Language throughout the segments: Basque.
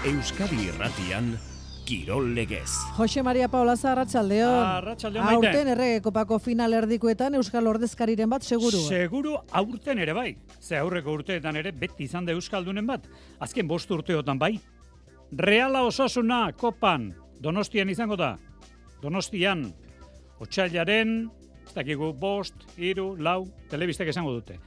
Euskadi Irratian Kirol Legez. Jose Maria Paulaza, arratsaldeon. Arratsaldeon, Maite. Aurten erregekopako final erdikoetan Euskal Ordezkariren bat seguru. Seguru aurten ere bai. Ze aurreko urteetan ere beti izan da Euskaldunen bat. Azken 5 urteotan bai. Reala Osasuna kopan Donostian izango da. Donostian otsailaren, ez dakigu 5, 3, 4 telebistek esango dute.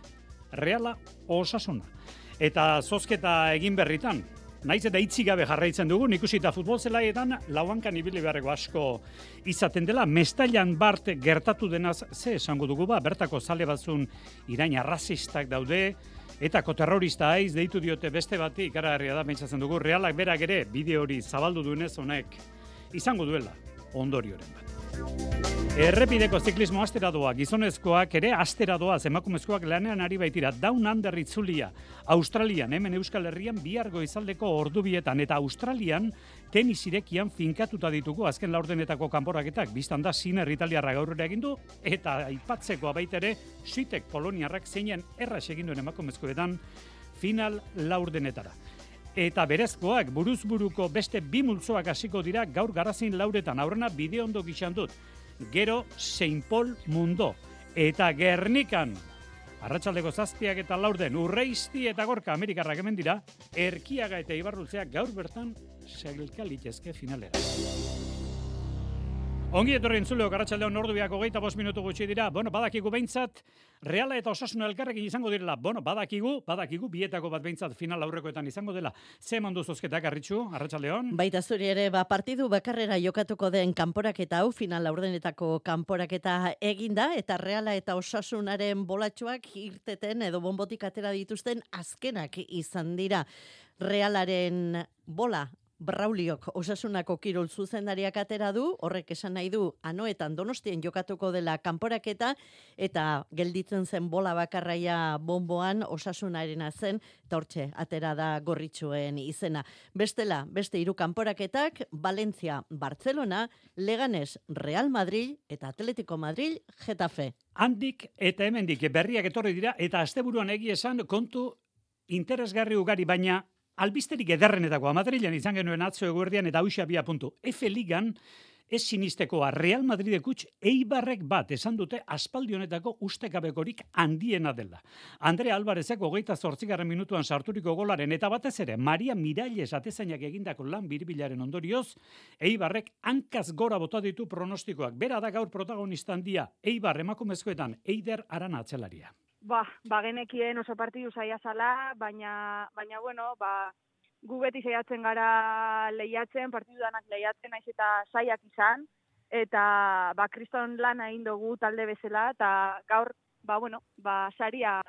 Reala Osasuna. Eta zozketa egin berritan. Naiz eta itzi gabe jarraitzen dugu, ikusita futbol zelaietan lauankan ibili beharreko asko izaten dela. Mestailan bart gertatu denaz ze esango dugu ba, bertako zale batzun irain arrazistak daude, etako terrorista haiz deitu diote beste bati, ikaragarria da pentsatzen dugu, Realak berak ere bideo hori zabaldu duenez honek izango duela ondorioren bat. Errepideko ziklismo astera doa, gizonezkoak ere astera doaz, emakumezkoak lanean ari baitira, Down Under itzulia, Australian, hemen Euskal Herrian bihar goizaldeko ordubietan, eta Australian tenis irekian finkatuta ditugu azken laurdenetako kanporaketak, biztan da Sinner italiarra gaurrera egin du, eta aipatzekoa baita ere, Swiatek poloniarrak zeinen erraz egin duen emakumezkoetan final laurdenetara. Eta berezkoak buruz-buruko beste 2 multzoak hasiko dira gaur Garazin lauretan, aurrena bideo ondo gixan dut. Gero Saint Paul Mundo eta Gernikan arratsaldeko 7 eta laurden Urreisti eta Gorka Amerikarrak hemen dira, Erkiaga eta Ibarrultzea gaur bertan sailka litezke finalera. Ongi etorri entzuleok, arratsaldeon ordubiak 25 minutu gutxi dira. Badakigu behintzat Reala eta Osasuna elkarrekin izango direla. Badakigu bietako bat behintzat final aurrekoetan izango dela. Ze eman du zozketak, Arritxu, arratsaldeon? Baita zuri ere, partidu bakarrera jokatuko den kanporaketa hau, final laurdenetako kanporaketa eginda, eta Reala eta Osasunaren bolatxoak irteten edo bonbotik atera dituzten azkenak izan dira. Realaren bola Brauliok Osasunako kirol zuzendariak atera du, horrek esan nahi du Anoetan Donostien jokatuko dela kanporaketa, eta gelditzen zen bola bakarraia bonboan Osasunarena zen, eta hortxe atera da gorritxuen izena. Bestela, beste 3 kanporaketak, Valencia, Barcelona, Leganés, Real Madrid eta Atletico Madrid, Getafe. Handik eta hemendik berriak etorri dira, eta asteburuan egia esan kontu interesgarri ugari, baina albisterik ederrenetakoa, Madrilen izan genuen atzo eguerdian eta hausia 2 puntu. F-ligan ez sinistekoa Real Madridek huts Eibarrek bat esan dute aspaldi honetako ustekabekorik handiena dela. Andrea Alvarezek 28. minutuan sarturiko golaren eta batez ere Maria Miralles atezainak egindako lan biribilaren ondorioz, Eibarrek hankaz gora bota ditu pronostikoak. Bera da gaur protagonista handia, Eibar emakumezkoetan Eider Arana atzelaria. Genekien oso partidu zaila zala, baina gu beti saiatzen gara lehiatzen, partidu danak lehiatzen, naiz eta zaiak izan, eta kriston lana egin dugu talde bezala, eta gaur, saria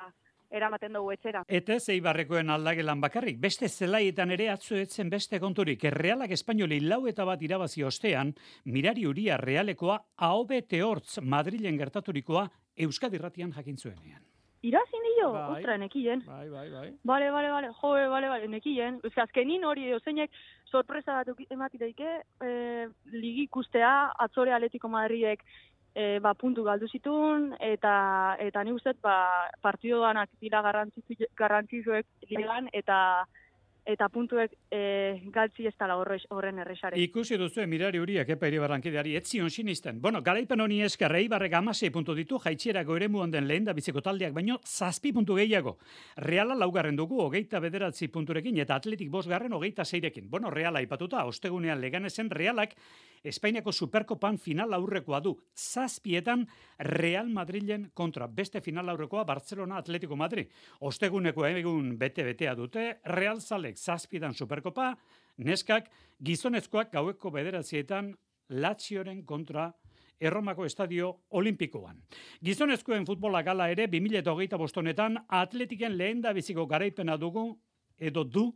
eramaten dugu etxera. Eta Eibarrekoen aldagelan bakarrik, beste zelaietan ere atzuetzen beste konturik. Realak Espainoli 4-1 irabazi ostean, Mirari Uria Realekoa ahobete hortz Madrilen gertaturikoa Euskadi Irratian jakin zuenean. Irazin dio? Bai. Ostra, nekien. Bai. Bale, nekien. Azkenin hori zeinek sorpresa bat emati daike, ligi ikustea, atzore Atletico Madridek puntu galdu zituen, eta ni ustez partidoanak dira garrantzitsuek ligan, eta puntuek galtzi ez dela horren errexare. Ikusi duzu Mirari Uriak epa Iribarrankideari etzion sinisten. Garaipen honi esker Eibarrek 16 puntu ditu, jaitsierako eremuan den lehendabiziko taldeak baino 7 puntu gehiago. Reala 4. dugu 29 punturekin eta Atletik 5. 26rekin. Reala aipatuta, ostegunean Leganesen Realak Espainiako Superkopan final aurrekoa du. 7etan Real Madrilen kontra. Beste final aurrekoa Barcelona Atletico Madrid. Osteguneko egun bete-betea dute. Real Zalek 7etan Superkopa. Neskak gizonezkoak gaueko 9etan Lazioren kontra Erromako Estadio Olimpikoan. Gizonezkoen futbola gala ere 2025 honetan Atletiken lehendabiziko garaipena dugu edo du.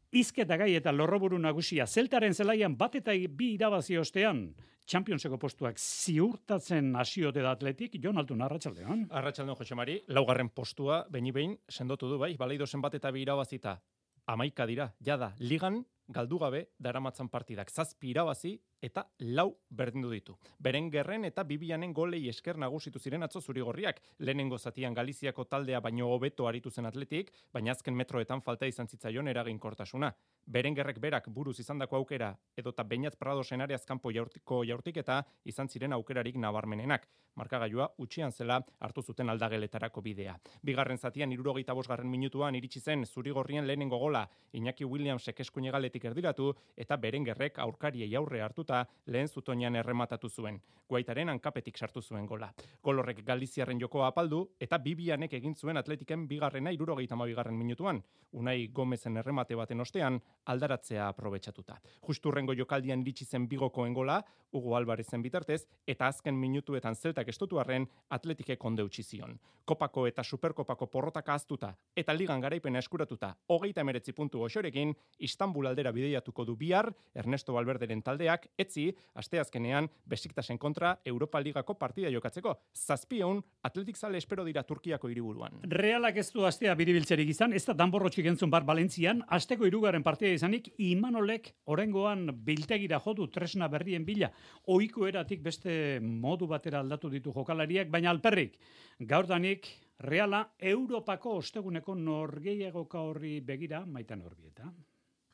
Izketa gai eta lorroburu nagusia Zeltaren zelaian 1-2 irabazi ostean Championseko postuak ziurtatzen hasiote da Atletik. Jon Altun, arratsaldeon. Arratsaldeon, Jose Mari, 4. postua behin sendotu du, bai, Baleidosen 1-2 irabazita 11 dira, jada, ligan galdu gabe daramatzan partidak. 7 irabazi eta 4 berdindu ditu. Berengerren eta Bibianen golei esker nagusitu ziren atzo zurigorriak. Lehenengo zatian Galiziako taldea baino hobeto aritu zen Atletik, baina azken metroetan falta izan zitzaion eraginkortasuna. Berengerrek berak buruz izandako aukera edota Beñat Pradosen areaz kanpo jaurtik eta izan ziren aukerarik nabarmenenak. Markagailua utxian zela hartu zuten aldageletarako bidea. Bigarren zatian 75. minutuan iritsi zen zurigorrien lehenengo gola. Iñaki Williamsek eskuinegaletik erdiratu eta Berengerrek aurkariei aurre hartuta lehen zutoinan errematatu zuen. Guaitaren hankapetik sartu zuen gola. Gol horrek Galiziarren jokoa apaldu eta Bibianek egin zuen Atletiken bigarrena 72. minutuan. Unai Gomezen erremate baten ostean aldaratzea aprobetxatuta. Justurrengo jokaldian iritsi zen Bigokoen gola, Hugo Alvarezen bitartez, eta azken minutuetan zeltak estotu arren Atletikek onde utzi zion. Kopako eta Superkopako porrotaka aztuta eta ligan garaipena eskuratuta 39 puntu goxorekin, Istanbul aldera bideiatuko du bihar Ernesto Valverderen taldeak, etzi, asteazkenean Besiktasen kontra Europa Ligako partida jokatzeko. 700 Atletik zale espero dira Turkiako hiriburuan. Realak ez du astea biribiltzerik izan, ez da danborrotxik entzun bar Valentzian, asteko 3. partida izanik, Imanolek orengoan biltegira jodu tresna berrien bila, ohiko eratik beste modu batera aldatu ditu jokalariak, baina alperrik, gaurdanik Reala Europako osteguneko norgehiagoka horri begira, Maitan Orbieta.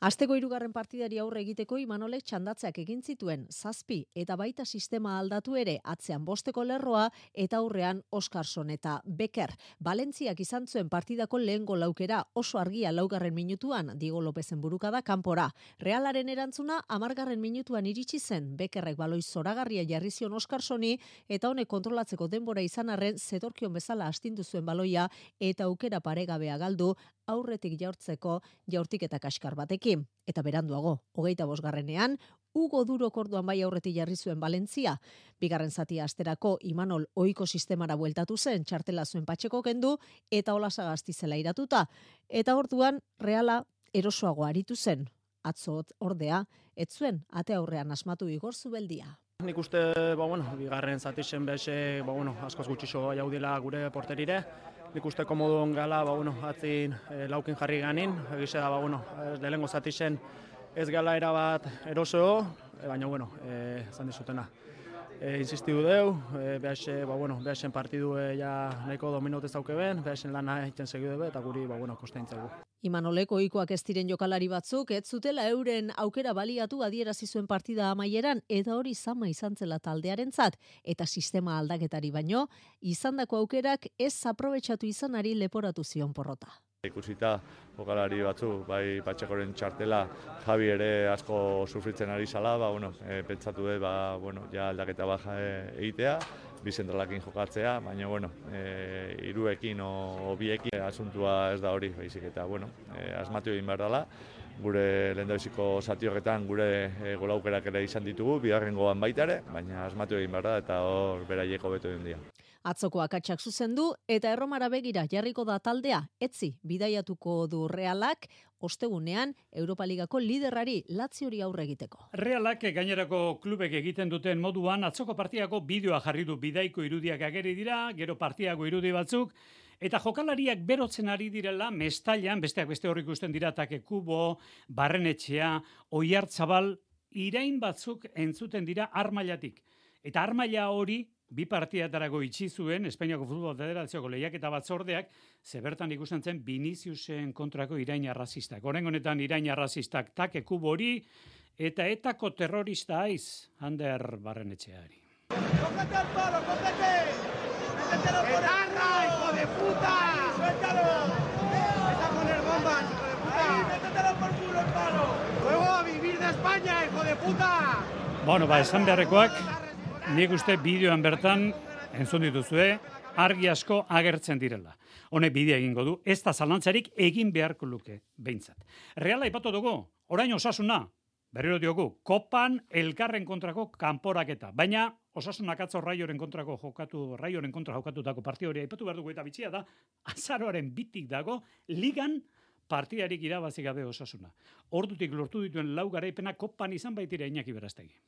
Asteko 3. partidari aurre egiteko Imanolek txandatzeak egin zituen 7 eta baita sistema aldatu ere atzean 5 lerroa eta aurrean Oskarson eta Becker. Valentziak izan zuen partidako lehen gol aukera oso argia 4. minutuan Diego Lopezen burukada kanpora. Realaren erantzuna 10. minutuan iritsi zen. Beckerrek baloi zoragarria jarri zion Oskarsoni eta honek kontrolatzeko denbora izan arren zetorkion bezala astindu zuen baloia eta aukera paregabea galdu aurretik jaurtik eta kaskar batekin. Eta beranduago, 25. Hugo Durok orduan bai aurretik jarri zuen Valentzia. Bigarren zatia asterako Imanol ohiko sistemara bueltatu zen, txartela zuen Patxeko kendu eta Olasagasti zela iratuta. Eta orduan Reala erosoago aritu zen. Atzo ordea, ez zuen ate aurrean asmatu Igor Zubeldia. Nik uste, bigarren zatixen bese, askoz gutxixo jaudela gure porterire. Nik uste komodun gala, atzin laukin jarri ganin. Egize da, lehengo zatixen ez gala erabat eroso, baina, zan dizutena. Insistidu deu, behasen partidu nahiko dominaut ez dauke ben, behasen lana egiten segidu debe, eta guri, kostaintzegu. Imanolek ohikoak ez diren jokalari batzuk, ez zutela euren aukera baliatu adierazi zuen partida amaieran, eta hori zama izan zela taldearentzat, eta sistema aldaketari baino, izandako aukerak ez aprobetxatu izanari leporatu zion porrota. Ikusita jokalari batzu, bai Patxekoren txartela, Javi ere asko sufritzen ari zala, pentsatu dut, ja aldaketa baja egitea, bi zentralakin jokatzea, baina, hiruekin o biekin asuntua ez da hori, baizik eta, asmatu egin behar dela. Gure lehendabiziko zati horretan gure golaukerak ere izan ditugu, bigarrengoan baita ere, baina asmatu egin behar da eta hor beraieko beto egin dira. Atzoko akatsak zuzendu eta Erromara begira jarriko da taldea, etzi bidaiatuko du Realak, ostegunean Europa Ligako liderrari Laziori aurre egiteko. Realak gainerako klubek egiten duten moduan atzoko partiako bideoa jarri du bidaiko irudiak ageri dira, gero partiako irudi batzuk, eta jokalariak berotzen ari direla Mestailan, besteak beste hor ikusten dira Take Kubo, Barrenetxea, Oiartzabal, irain batzuk entzuten dira Armailatik. Eta Armaila hori bi partidatarago itxi zuen Espainiako Futbol Federazioko lehiaketa batzordeak, zebertan ikusten zen Viniciusen kontrako irain arrazistak. Oraingo honetan irain arrazistak Take Kubo hori eta etako terrorista aiz Ander Barrenetxeari. ¡Cógete al palo, cógete! ¡Métetelo por el culo! ¡Hijo de puta! ¡Suéltalo! ¡Vas a poner bombas, hijo de puta! ¡Ahí, métetelo por culo el palo! ¡Luego a vivir de España, hijo de puta! Esan beharrekoak, nik uste bideoan bertan, entzun dituzue, argi asko agertzen direla. Honek bidea egingo du, ez da zalantzarik egin beharko luke, behintzat. Reala ipatu dugu, orain Osasuna, berriro diogu, kopan elkarren kontrako kanporaketa. Baina Osasunak atzo Raioren kontra jokatutako partida hori aipatu behar dugu eta bitxia da, azaroaren bitik dago, ligan partidarik irabazi gabe Osasuna. Ordutik lortu dituen 4 garaipena kopan izan baitira Iñaki Berastegi.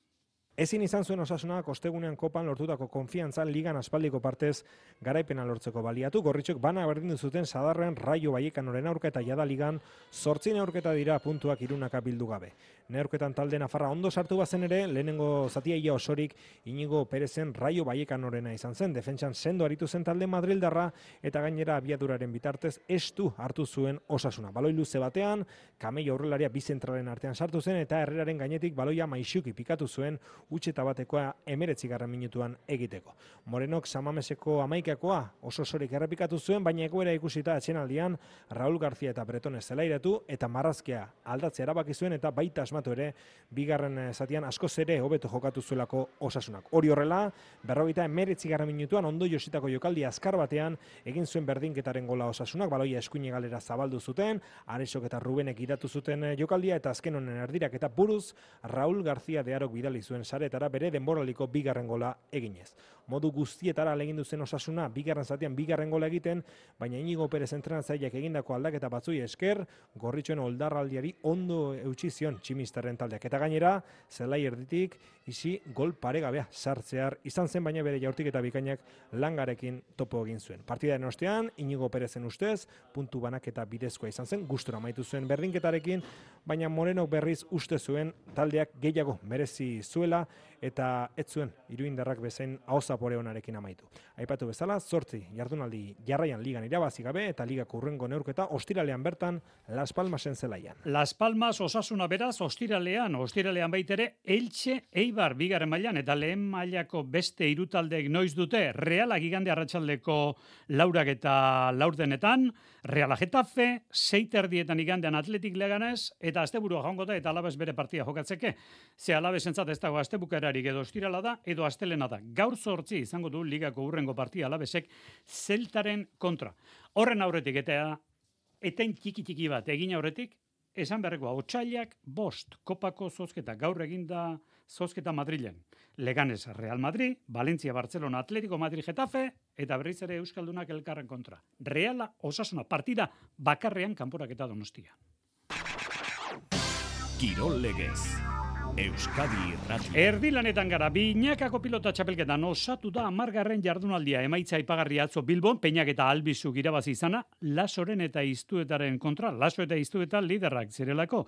Ezin izan zuen Osasunak ostegunean kopan lortutako konfiantza ligan aspaldiko partez garaipena lortzeko baliatu. Gorritxok bana berdindu zuten Sadarren Raio Vallecanoren aurka eta jada ligan 8 neurketa dira puntuak irunaka bildu gabe. Neurketan talde nafarra ondo sartu bazen ere, lehenengo zatia ia osorik Inigo Perezen Raio Vallecanorena izan zen. Defentsan sendo aritu zen talde madrildarra eta gainera abiaduraren bitartez estu hartu zuen Osasuna. Baloi luze batean, Camello aurrelaria bi zentralen artean sartu zen eta Herreraren gainetik baloia maixuki pikatu zuen utxeta batekoa 19. minutuan egiteko. Morenok Samameseko 11koa oso osorik errepikatu zuen, baina egoera ikusita atxenaldian Raúl García eta Bretone zelairatu eta marrazkia aldatzea erabaki zuen eta baita asmatu ere bigarren zatian askoz ere hobeto jokatu zuelako Osasunak. Hori horrela, 59. minutuan ondo jositako jokaldi azkar batean egin zuen berdinketaren gola Osasunak, baloia eskuine galera zabaldu zuten, Aresok eta Rubenek idatu zuten jokaldia eta azken honen erdirak eta buruz Raúl García de Arok bidali zuen saretara bere denboraliko bigarren gola eginez. Modu guztietara alegindu zen Osasuna bigarren zatian bigarren gola egiten, baina Inigo Perez entrenatzaileak egindako aldaketa batzui esker, Gorritxoen oldarraldiari ondo eutsi zion tximistaren taldeak. Eta gainera, zelai erditik isi gol paregabea sartzear izan zen, baina bere jaurtik eta bikainak Langarekin topo egin zuen. Partidaren ostean, Inigo Perezen ustez, puntu banaketa bidezkoa izan zen, gustura amaitu zuen berdinketarekin, baina Morenok berriz uste zuen taldeak gehiago merezi zuela eta ez zuen iruindarrak bezain ahozapore onarekin amaitu. Aipatu bezala, 8 jardunaldi jarraian ligan irabazi gabe eta ligako hurrengo neurketa ostiralean bertan Las Palmasen zelaian. Las Palmas Osasuna beraz ostiralean baitere Elche Eibar bigarren mailan eta lehen mailako beste hiru taldeek noiz dute Reala igande arratsaldeko 4 eta 4 Reala Getafe, 6:30 igandean Atletik Leganés eta asteburua joango da eta Alabes bere partida jokatzeke. Ze Alabesentzat ez dago astebukerarik edo ostirala da edo astelena da. Gaur 8 izango du ligako hurrengo partida Alabesek Zeltaren kontra. Horren aurretik eta eten txiki bat egin aurretik esan beharrekoa otsailak 5 kopako zozketa gaur eginda zozketa Madrilen. Leganés Real Madrid, Valencia Barcelona Atletico Madrid Getafe eta berriz ere euskaldunak elkarren kontra. Reala Osasuna partida bakarrean kanporaketa Donostia. Kirol Legez. Euskadi Irratia. Erdilanetan gara, binakako pilota txapelketan osatu da 10. jardunaldia emaitza aipagarria atzo Bilbon, Peñak eta Albizuk irabazi izana, Lasoren eta Iztuetaren kontra, Laso eta Iztueta liderrak zirelako.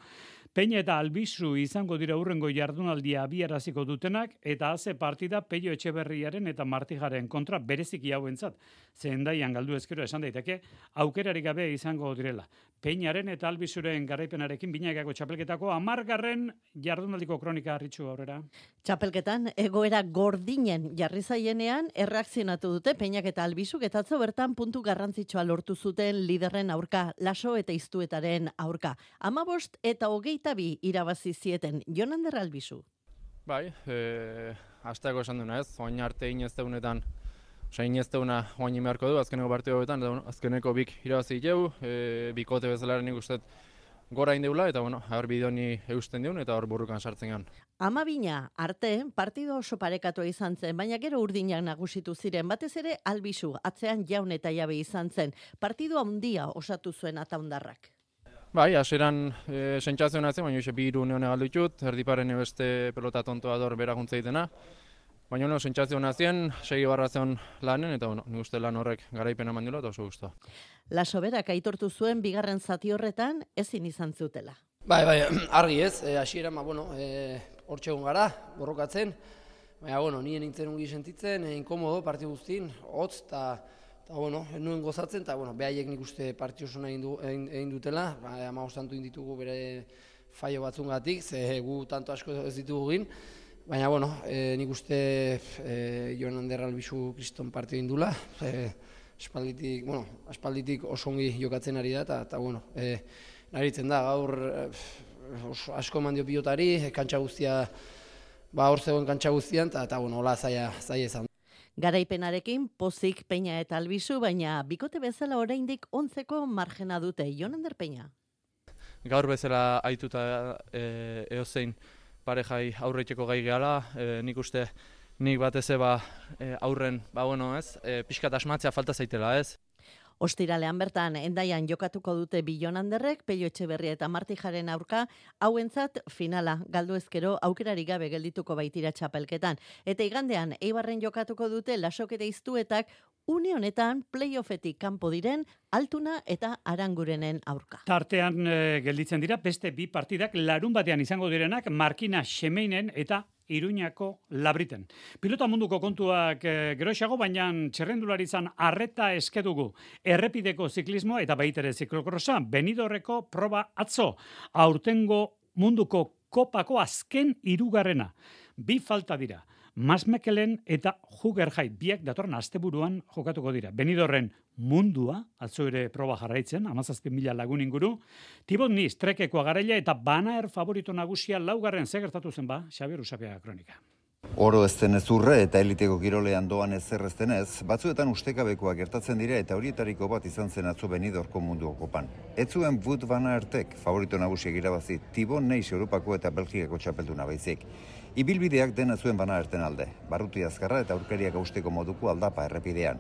Peña eta Albizu izango dira hurrengo jardunaldia abiaraziko dutenak, eta haze partida Peio Etxeberriaren eta Martijaren kontra bereziki hauentzat. Zendaian galdu ezkero esan daiteke, aukerarik gabe izango direla. Peñaren eta Albizuren garaipenarekin binakako txapelketako 10. jardunaldiko kronika harritxu aurrera. Txapelketan egoera gordinen jarri zaienean erreakzionatu dute Peñak eta Albizuk eta atzo bertan puntu garrantzitsua lortu zuten liderren aurka, Laso eta Iztuetaren aurka. 15 eta 22 irabazi zieten. Jon Ander Albizu. Bai, hasteko esan duna ez, oain arte inezteunetan, inezteuna oain imearko du, azkeneko partidoetan, azkeneko bik irabazi jau, bikote bezalaren nik uste gora indeula, eta hor bidoni eusten diun, eta hor burrukan sartzen gan. 12 arte, partido oso parekatua izan zen, baina gero urdinak nagusitu ziren, batez ere Albizu, atzean Jaun eta Jabe izan zen. Partido handia osatu zuen ataundarrak. Bai, hasieran sentsazio nazen, baina hoxe 2 neone galdu ditut, erdiparen beste pelota tontoa dor beraguntza ditena. Baina sentsazio nazien, 6 lanen, eta nik uste lan horrek garaipena mandula eta oso guztua. Laso berak aitortu zuen bigarren zati horretan ezin izan zutela. Bai, argi ez, hasieran hortxe egon gara, borrokatzen, baina nien nintzen ungi sentitzen, inkomodo partidu guztin, hotz, eta nuen gozatzen, eta behaiek nik uste partio oso egin dutela, 15 tantu inditugu bere faio batzungatik, ze gu tanto asko ez ditugu egin, baina nik uste Jon Ander Albizu kriston partio indula, aspalditik oso ongi jokatzen ari da, eta naritzen da, gaur asko eman dio pilotari, kantxa guztia, hor zegoen kantxa guztian, eta hola zaila izan. Garaipenarekin pozik Peña eta Albizu, baina bikote bezala oraindik 11ko margena dute. Jon Ander Peña. Gaur bezala aituta eozein parejai aurreitzeko gai gehala, nik uste nik batez aurren, pixkat asmatzea falta zaitela, ez? Ostiralean bertan, Endaian jokatuko dute Bilonanderrek, Pello Etxeberria eta Martijaren aurka, hauentzat finala galdu ezkero aukerari gabe geldituko baitira txapelketan. Eta igandean, Eibarren jokatuko dute Lasok eta Iztuetak une honetan playoffetik kanpo diren Altuna eta Arangurenen aurka. Tartean gelditzen dira beste bi partidak larun batean izango direnak Markina Xemeinen eta Iruñako Labriten. Pilota munduko kontuak geroxago, baina txerrendularitzan arreta eskedugu errepideko ziklismoa eta baitere ziklokrosa. Benidorreko proba atzo, aurtengo munduko kopako azken 3. Bi falta dira. Masmekelen eta Jugerjait biak datorren asteburuan jokatuko dira. Benidorren mundua, atzo ere proba jarraitzen, 17.000 lagun inguru, Tibot Niz, Trekekoa garaila eta Banaer favorito nagusia 4. Gertatu zen ba, Xabier Usapiaga kronika. Oro ez denez urre eta eliteko kirolean doan ezer ez denez, batzuetan ustekabekoak gertatzen dira eta horietariko bat izan zen atzo Benidorko munduko kopan. Ez zuen Wout van Aertek favorito nagusiak irabazi Tibot Niz Europako eta Belgikako txapelduna baizik. Ibilbideak dena zuen Van Aerten alde, barruti azkarra eta aurkariak austeko moduko aldapa errepidean.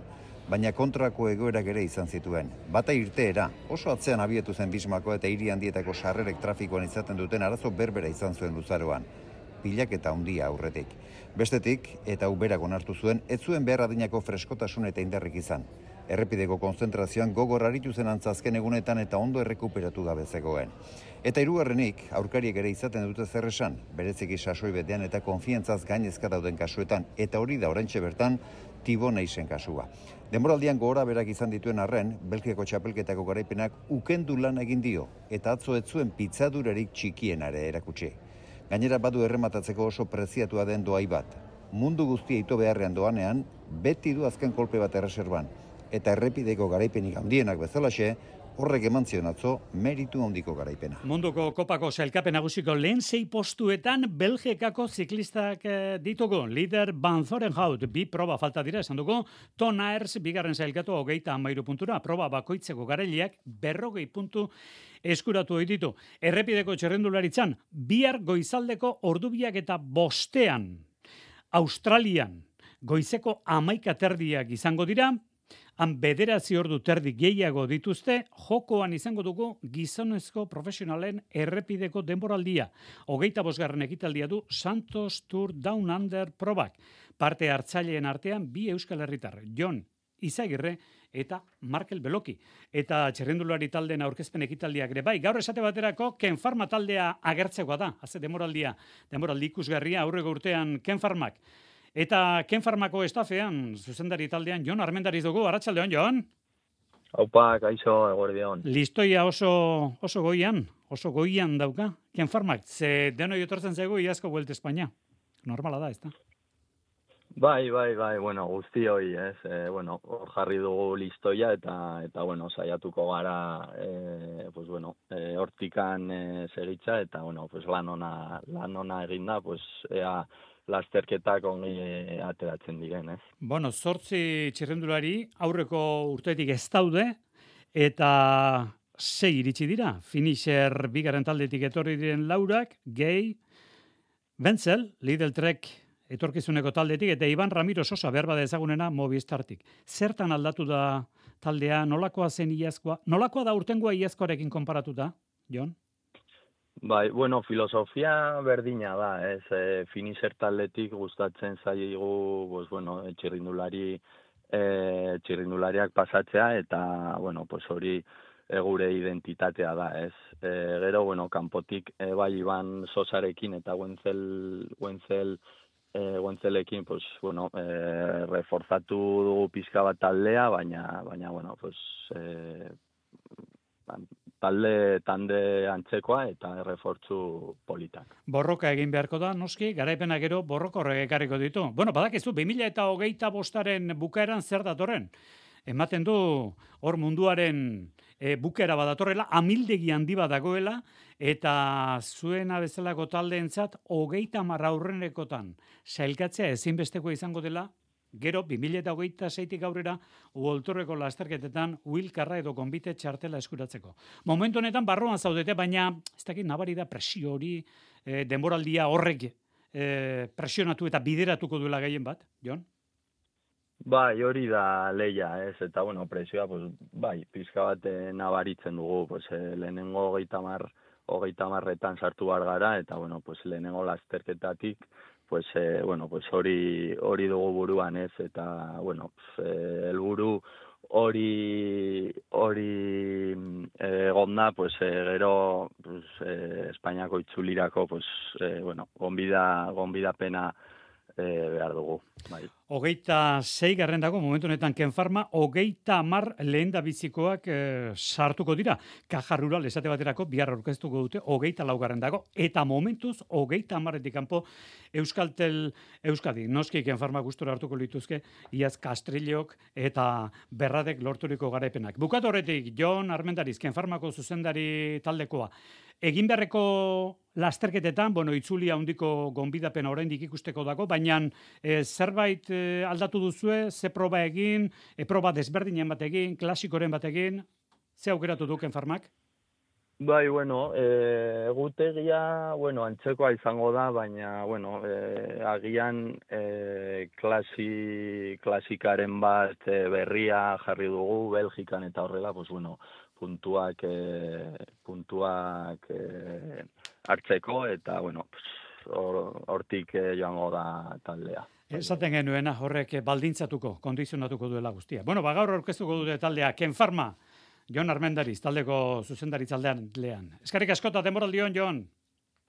Baina kontrako egoerak ere izan zituen. Bata irteera, oso atzean abietu zen Bismako eta hiri handietako sarrerek trafikoan izaten duten arazo berbera izan zuen luzaroan. Pilak eta handia aurretik. Bestetik, eta uberak onartu zuen, ez zuen behar adinako freskotasun eta indarrik izan. Errepideko konzentrazioan gogor aritu zen antzazken egunetan eta ondo errekuperatu gabe zegoen. Eta hirugarrenik, aurkariek ere izaten dute zer esan, bereziki sasoi betean eta konfiantzaz gainezka dauden kasuetan, eta hori da oraintxe bertan Tibot Nizen kasua. Denboraldian gora berak izan dituen arren, Belgikako txapelketako garaipenak ukendu lan egin dio, eta atzo ez zuen pitzadurarik txikienare erakutsi. Gainera badu errematatzeko oso preziatua den doai bat. Mundu guztia ito beharrean doanean, beti du azken kolpe bat erreserban. Eta errepideko garaipenik handienak bezalaxe, horrek eman zion atzo meritu handiko garaipena. Munduko kopako sailkapen nagusiko lehen 6 postuetan Belgikako ziklistak ditugu. Lider Van Zorenhout, 2 proba falta dira esan dugu. Ton Aers, 2. sailkatu 33 puntura. Proba bakoitzeko garaileak 40 puntu eskuratu ohi ditu. Errepideko txerrendularitzan, bihar goizaldeko ordubiak eta 5 Australian goizeko 11 izango dira. Han 9 ordu terdi gehiago dituzte, jokoan izango dugu gizonezko profesionalen errepideko denboraldia. 25. ekitaldia du Santos Tour Down Under probak. Parte hartzaileen artean 2 euskal herritar, Jon Izagirre eta Markel Beloki. Eta txerrendulari taldeen aurkezpen ekitaldiak ere bai. Gaur esate baterako Ken Pharma taldea agertzekoa da. Haze denboraldi ikusgarria aurreko urtean Ken Pharmak. Eta Ken Pharmako estafean, zuzendari taldean, Jon Armendariz dugu. Arratsaldeon, Jon? Aupa, kaixo, eguerdion. Listoia oso goian dauka Ken Pharmak. Ze denoi etortzen zaigu iazko Vuelta Espainia. Normala da, ez da? Bai, bueno, guztioi, ez? Hor jarri dugu listoia eta bueno, saiatuko gara, hortikan segitza eta, lan ona eginda, ea lasterketak ongi ateratzen diren, ez? 8 txirrendulari aurreko urtetik ez daude eta 6 iritsi dira. Finisher 2. taldetik etorri diren Laurak, Gay, Wenzel, Lidl Trek etorkizuneko taldetik eta Iban Ramiro Sosa behar bada ezagunena Movistartik. Zertan aldatu da taldea, nolakoa zen iazkoa? Nolakoa da urtengoa iazkoarekin konparatuta, Jon? Bai, filosofia berdina da, ez, Finisher taldetik gustatzen zaigu, txirrindulariak pasatzea eta, hori gure identitatea da, ez. Gero, kanpotik bai Iban Sosarekin eta Wentzelekin, reforzatu dugu pixka bat taldea, baina talde antzekoa eta refortzu politak. Borroka egin beharko da, noski, garaipena gero borroka horrek ekarriko ditu. Badakizu, 2025 bukaeran zer datorren? Ematen du hor munduaren bukaera badatorrela, amildegi handi bat dagoela, eta zuena bezalako taldeentzat 30 aurrenekotan sailkatzea ezinbesteko izango dela. Gero, 2026tik aurrera, uoltorreko lasterketetan uilkarra edo konbite txartela eskuratzeko. Momentu honetan barruan zaudete, baina ez dakit nabari da presio hori, denboraldia horrek presionatu eta bideratuko duela gehien bat, Jon? Bai, hori da leia, ez, eta, bueno, presioa, pues, bai, pizka bat nabaritzen dugu, pues, lehenengo 30etan sartu behar gara, eta, bueno, pues, lehenengo lasterketatik, pues, bueno, pues, hori dugu buruan, ez, eta, bueno, helburu hori egonda, pues, gero, pues, Espainiako itzulirako, pues, bueno, gonbidapena behar dugu, bai. 26 dago, momentu honetan Ken Pharma, 30 lehen da bizikoak sartuko dira. Caja Rural esate baterako bihar aurkeztuko dute 24 dago, eta momentuz 30etik kanpo Euskadi. Noski Ken Pharma gustura hartuko lituzke, iaz Castrillok eta Berradek lorturiko garaipenak. Bukatu horretik, Jon Armendariz, Ken Pharmako zuzendari taldekoa. Egin beharreko lasterketetan, bueno, itzuli handiko gonbidapena oraindik ikusteko dago, baina zerbait aldatu duzue, ze proba egin, proba desberdinen bat egin, klasikoren bat egin, ze aukeratu du Ken Pharmak? Bai, bueno, egutegia, bueno, antzekoa izango da, baina, bueno, agian klasikaren bat berria jarri dugu, Belgikan eta horrela, pues, bueno, puntuak hartzeko, eta, bueno, hortik joango da taldea. Esaten genuena, horrek baldintzatuko, kondizionatuko duela guztia. Bueno, gaur aurkeztuko dute taldea, Ken Pharma, Jon Armendariz, taldeko zuzendari taldean lehan. Eskerrik askota, denboraldion, Jon.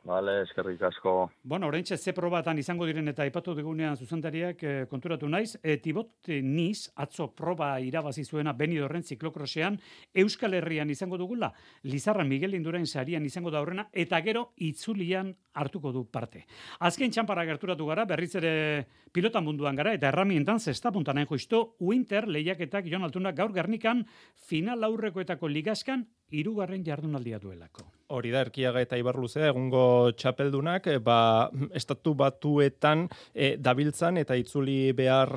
Vale, eskerrik asko. Bueno, oraintxe ze probatan izango diren eta aipatu digunean zuzendariak konturatu naiz. Tibot Niz, atzo proba irabazi zuena Benidorren ziklokrosean, Euskal Herrian izango dugula, Lizarra Miguel Indurain sarian izango da horrena, eta gero itzulian hartuko du parte. Azken txanpara gerturatu gara, berriz ere pilota munduan gara, eta erramientan zesta puntanen justu, Winter lehiaketak Jon Altuna gaur Gernikan final aurrekoetako ligaskan 3. jardunaldia duelako. Hori da, Erkiaga eta Ibarluzea egungo txapeldunak, estatu batuetan dabiltzan eta itzuli behar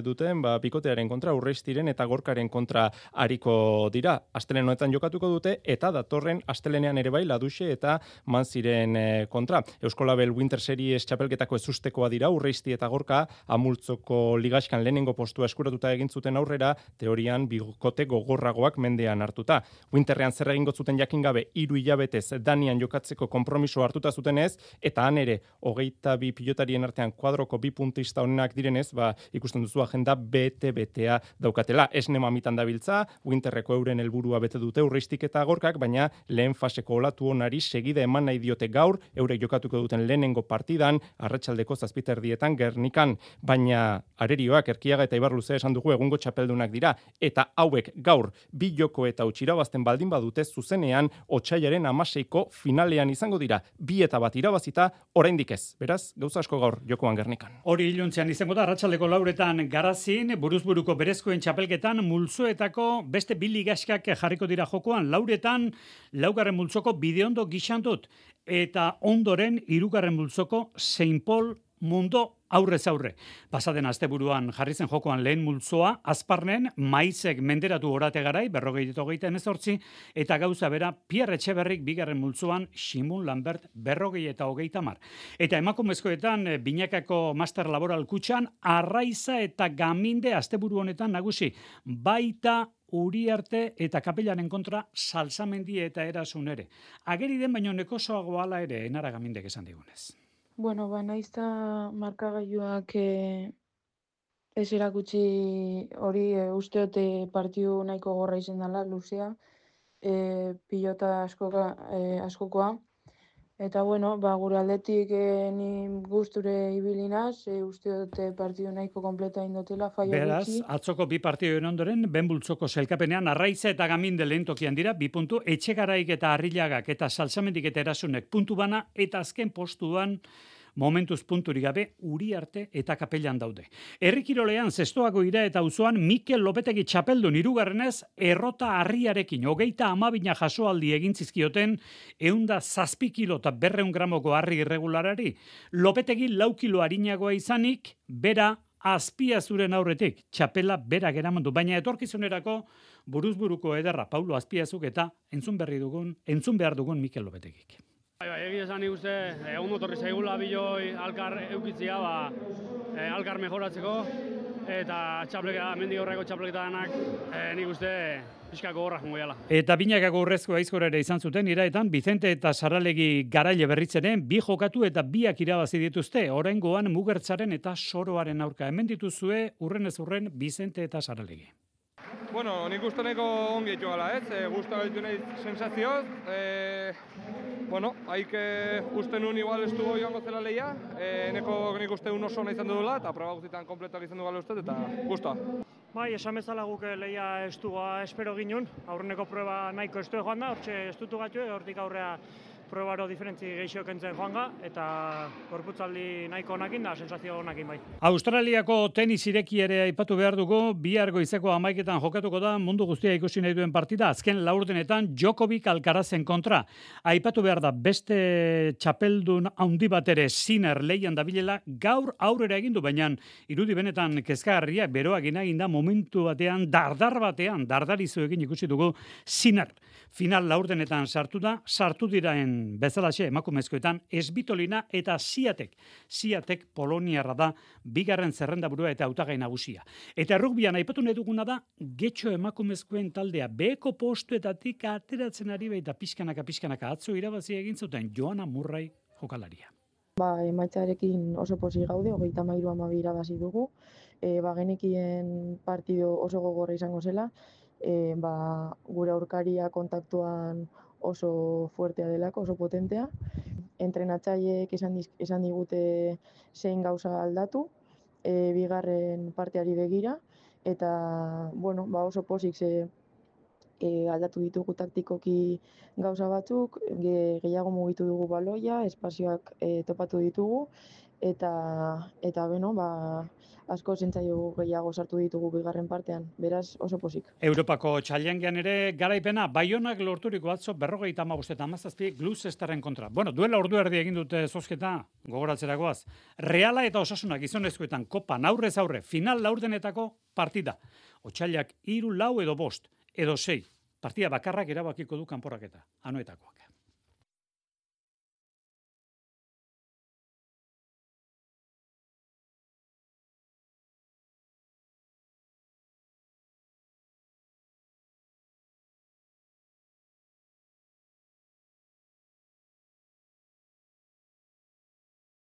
duten, bikotearen kontra, Urreistiren eta Gorkaren kontra ariko dira. Astelehen honetan jokatuko dute, eta datorren astelenean ere bai Laduxe eta Manziren kontra. Euskolabel Winter Series txapelketako ezustekoa dira, Urreisti eta Gorka, Amultzoko ligaskan lehenengo postua eskuratuta egin zuten aurrera, teorian bikote gogorragoak mendean hartuta. Winterrean zer egingo zuten jakin gabe 3 hilabetez Danian jokatzeko konpromiso hartuta zutenez, eta han ere 22 pilotarien artean kuadroko 2 puntista honenak direnez, ikusten duzu agenda bete-betea daukatela. Esne mamitan dabiltza, Winterreko euren helburua bete dute Urreistik eta Gorkak, baina lehen faseko olatu onari segida eman nahi diote gaur, eurek jokatuko duten lehenengo partidan, arratsaldeko 7:00 Gernikan, baina arerioak Erkiaga eta Ibarluzea esan dugu egungo txapeldunak dira, eta hauek gaur 2 joko eta irabazten baldin badute zuzenean otsailaren 16ko finalean izango dira. 2 eta 1 irabazita, oraindik ez. Beraz, gauza asko gaur jokoan Gernikan. Hori iluntzean izango da, arratsaldeko 4 Garazin, buruzburuko berezkoen txapelketan, multzoetako beste 2 ligaskak jarriko dira jokoan, 4 laugarren multzoko Bideondo Gixandut, eta ondoren 3. multzoko Saint Paul Mundo aurrez aurre. Pasaden asteburuan jarri zen jokoan lehen multzoa, Azparnen, Maizek menderatu orate garai, 48-18, eta gauza bera, Pierre Etxeberrik 2. multzoan, Simun Lambert 40-30. Eta emakumezkoetan, Binakako Master Laboral Kutxan, Arraiza eta Gaminde asteburu honetan nagusi, baita Uriarte eta Kapelaren kontra Salsamendi eta Erasun ere. Ageri den baino nekosoago hala ere, Enara Gamindek esan digunez. Bueno, naizta markagailuak ez erakutsi hori usteote partidu nahiko gorra izan dela, luzea, pilota askokoa. Eta bueno, gure aldetik ni gusture ibilinaz, usteote partidu nahiko kompleta indotela, faia gutxi. Beraz, atzoko 2 partiduen ondoren, benbultzoko selkapenean, Arraiza eta Gaminde lehen tokian dira, 2 puntu, Etxegaraik eta Arrilagak eta Salsamendik eta Erasunek puntu bana, eta azken postuan, momentuz punturik gabe, Uriarte eta Kapelan daude. Herrikirolean zestoako ira eta auzoan Mikel Lopetegi txapeldun 3. errota harriarekin 32 jasoaldi egin zizkioten 107 kilo eta 200 gramoko harri irregularari. Lopetegi 4 kilo harinagoa izanik, bera Azpiazuren aurretik, txapela berak eramandu, baina etorkizunerako buruzburuko ederra Paulo Azpiazuk eta entzun behar dugun Mikel Lopetegik. Egia esan nik uste, egun motorri zaigula biloi alkar eukitzia, alkar mejoratzeko, eta mendik aurreko txapleketa danak, nik uste pixka gogorra jongo jala. Eta binakako urrezko aizkora ere izan zuten, iraetan, Bizente eta Saralegi Garaile Berritzeren bi jokatu eta biak irabazi dituzte, oraingoan Mugertzaren eta Soroaren aurka. Hemen dituzue urrenez urren Bizente eta Saralegi. Bueno, nik uste nahiko ongi etxo gala, gusta gaitu nahi sensazioz. Haik uste nun igual ez dugu joango zela lehia, nik uste un oso nahi izan dudula, eta proba guztietan kompletak izan dugala uste, eta gusta. Bai, esan bezala guk lehia estuga espero ginun, aurreneko prueba nahiko estu joan da, hortxe estutu gatu, hortik aurrea probaro diferentzi gehiago kentzen joanga, eta gorputzaldi nahiko onakin da, sensazio onakin bai. Australiako tenis ireki ere aipatu behar dugu, bihar goizeko 11etan jokatuko da mundu guztia ikusi nahi duen partida, azken laurdenetan Djokovic Alcarazen kontra. Aipatu behar da beste txapeldun handi bat ere Sinner leian dabilela gaur aurrera egindu, baina irudi benetan kezkagarriak beroak egin da momentu batean, dardarizu egin ikusi dugu Sinner. Final laurdenetan sartu diraen bezalaxe emakumezkoetan Esbitolina eta Siatek Poloniarra da bigarren zerrendaburua eta hautagai nagusia. Eta rugbian aipatu nahi duguna da getxo emakumezkoen taldea beheko postuetatik ateratzen ari baita pixkanaka atzo irabazi egin zuten Joana Murray jokalaria. Emaitzarekin oso posi gaude, 33-12 irabazi dugu. Genekien partido oso gogorra izango zela. Gure aurkaria kontaktuan oso fuertea delako, oso potentea. Entrenatzaileek esan digute zein gauza aldatu, bigarren parteari begira, eta oso pozik aldatu ditugu taktikoki gauza batzuk, gehiago mugitu dugu baloia, espazioak topatu ditugu, eta asko zentzaio gehiago sartu ditugu bigarren partean, beraz oso pozik. Europako txailengean ere garaipena, Baionak lorturiko atzo 55-17 Gloucesterren kontra. Duela ordu erdi egin dute zozketa, gogoratzerakoaz. Reala eta Osasuna gizonezkoetan kopan aurrez aurre, final laurdenetako partida. Otsailak 3, 4 edo 5 edo 6. Partida bakarrak erabakiko du kanporaketa. Anoetakoak.